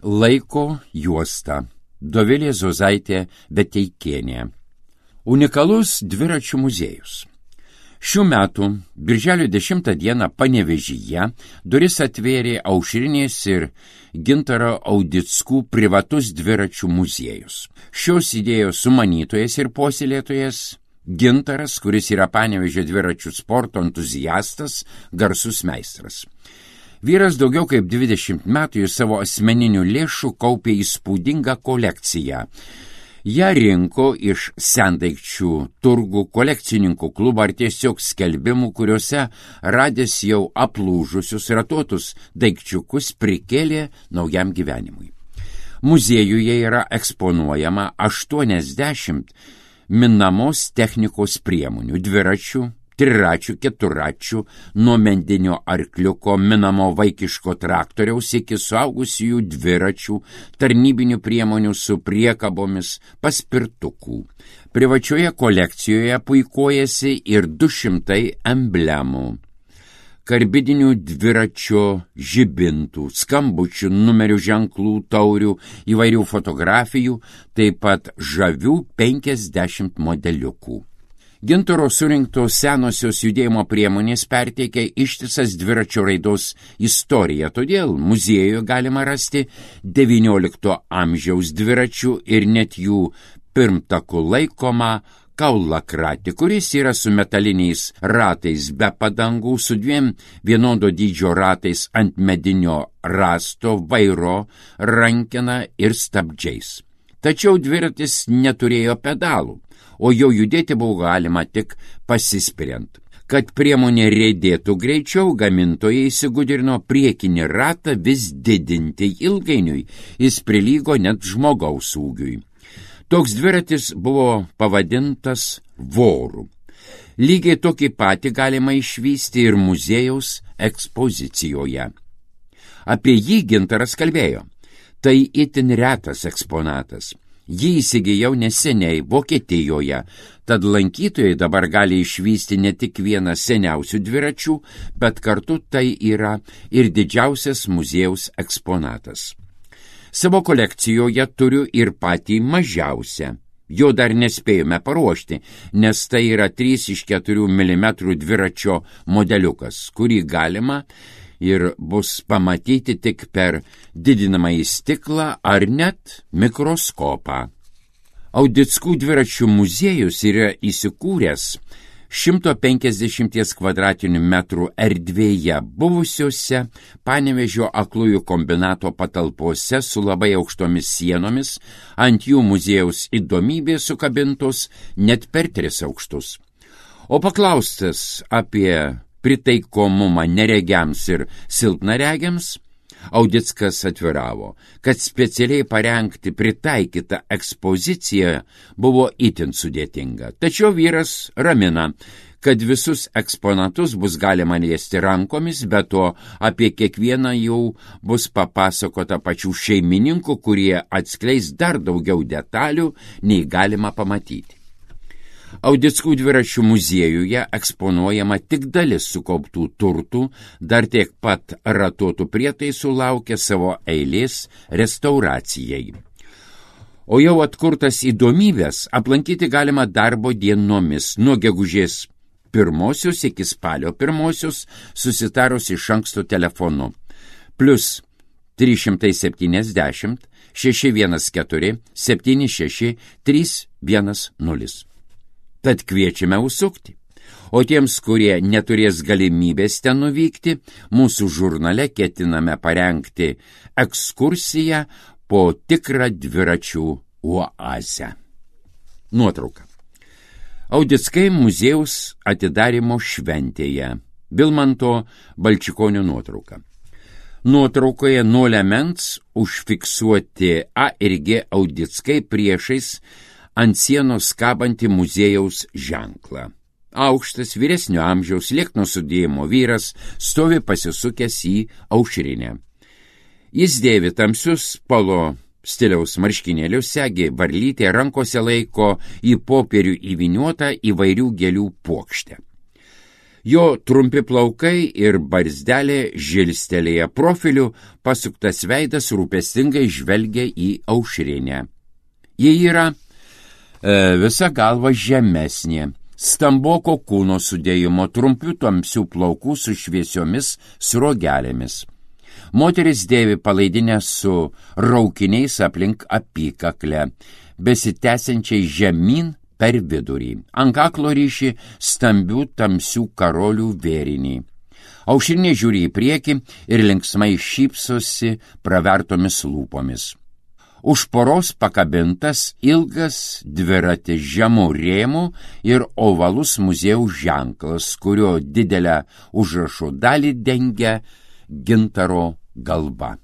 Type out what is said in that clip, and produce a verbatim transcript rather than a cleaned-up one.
Laiko juosta. Dovilė Zozaitė Beteikienė. Unikalus dviračių muziejus. Šių metų birželio dešimtą dieną Panevėžyje duris atvėrė Aušrinės ir Gintaro Audickų privatus dviračių muziejus. Šios idėjos sumanytojas ir puoselėtojas Gintaras, kuris yra Panevėžio dviračių sporto entuziastas, garsus meistras. Vyras daugiau kaip dvidešimt metų iš savo asmeninių lėšų kaupė įspūdingą kolekciją. Ją rinko iš sendaikčių turgų, kolekcininkų klubų ar tiesiog skelbimų, kuriuose radęs jau aplūžusius ratuotus daikčiukus prikėlė naujam gyvenimui. Muziejuje yra eksponuojama aštuoniasdešimt minamos technikos priemonių, dviračių, triračių, keturačių, nuo mendinio arkliuko, minamo vaikiško traktoriaus iki suaugusiųjų dviračių, tarnybinių priemonių su priekabomis, paspirtukų. Privačioje kolekcijoje puikuojasi ir du šimtai emblemų, karbidinių dviračio žibintų, skambučių, numerių ženklų, taurių, įvairių fotografijų, taip pat žavių penkiasdešimt modeliukų. Gintaro surinktos senosios judėjimo priemonės perteikia ištisas dviračio raidos istoriją, todėl muziejuje galima rasti devyniolikto amžiaus dviračių ir net jų pirmtakų laikomą kaulakratį, kuris yra su metaliniais ratais be padangų, su dviem vienodo dydžio ratais ant medinio rasto, vairo, rankena ir stabdžiais. Tačiau dviratis neturėjo pedalų, o jau judėti buvo galima tik pasispiriant. Kad priemonė riedėtų greičiau, gamintojai įsigudrino priekinį ratą vis didinti. Ilgainiui jis prilygo net žmogaus ūgiui. Toks dviratis buvo pavadintas voru. Lygiai tokį patį galima išvysti ir muziejaus ekspozicijoje. Apie jį Gintaras kalbėjo. Tai itin retas eksponatas. Jį įsigijau neseniai Vokietijoje, tad lankytojai dabar gali išvysti ne tik vieną seniausių dviračių, bet kartu tai yra ir didžiausias muziejaus eksponatas. Savo kolekcijoje turiu ir patį mažiausią. Jo dar nespėjome paruošti, nes tai yra trys iš keturių milimetrų dviračio modeliukas, kurį galima ir bus pamatyti tik per didinamąjį stiklą ar net mikroskopą. Audickų dviračių muziejus yra įsikūręs šimto penkiasdešimties kvadratinių metrų erdvėje buvusiuose Panevėžio aklųjų kombinato patalpose su labai aukštomis sienomis, ant jų muziejaus įdomybės sukabintos net per tris aukštus. O paklaustas apie pritaikomumą neregiams ir silpnaregiams, Audickas atviravo, kad specialiai parengti pritaikytą ekspoziciją buvo itin sudėtinga. Tačiau vyras ramina, kad visus eksponatus bus galima liesti rankomis, bet to apie kiekvieną jau bus papasakota pačių šeimininkų, kurie atskleis dar daugiau detalių, nei galima pamatyti. Audickų dviračių muziejuje eksponuojama tik dalis sukauptų turtų, dar tiek pat ratuotų prietaisų laukia savo eilės restauracijai. O jau atkurtas įdomybės aplankyti galima darbo dienomis nuo gegužės pirmosios iki spalio pirmosios susitarus iš anksto telefonu. Plus trys šimtai septyniasdešimt šeši vienas keturi septyni šeši trys vienas nulis. Tad kviečiame užsukti. O tiems, kurie neturės galimybės ten nuvykti, mūsų žurnale ketiname parengti ekskursiją po tikrą dviračių oazę. Nuotrauka. Audickai muziejaus atidarymo šventėje. Vilmanto Balčikonio nuotrauka. Nuotraukoje nuo liemens užfiksuoti A ir G Audickai priešais ant sienos kabantį muziejaus ženklą. Aukštas vyresnio amžiaus liekno sudėjimo vyras stovi pasisukęs į Aušrinę. Jis dėvi tamsius polo stiliaus marškinėlius, segi varlytė, rankose laiko į popierių įvyniuotą įvairių gėlių puokštę. Jo trumpi plaukai ir barzdelė žilstelėję profiliu, pasuktas veidas rūpestingai žvelgia į Aušrinę. Ji yra e, visa galva žemesnė, stamboko kūno sudėjimo, trumpių tamsių plaukų su šviesiomis sruogelėmis. Moteris dėvi palaidinę su raukiniais aplink apykaklę, besitęsiančiai žemyn per vidurį. Ant kaklo ryši stambių tamsių karolių vėrinį. Aušrinė žiūri į priekį ir linksmai šypsosi pravertomis lūpomis. Už poros pakabintas ilgas dviratis žemų rėmų ir ovalus muziejaus ženklas, kurio didelę užrašų dalį dengia gintaro galva.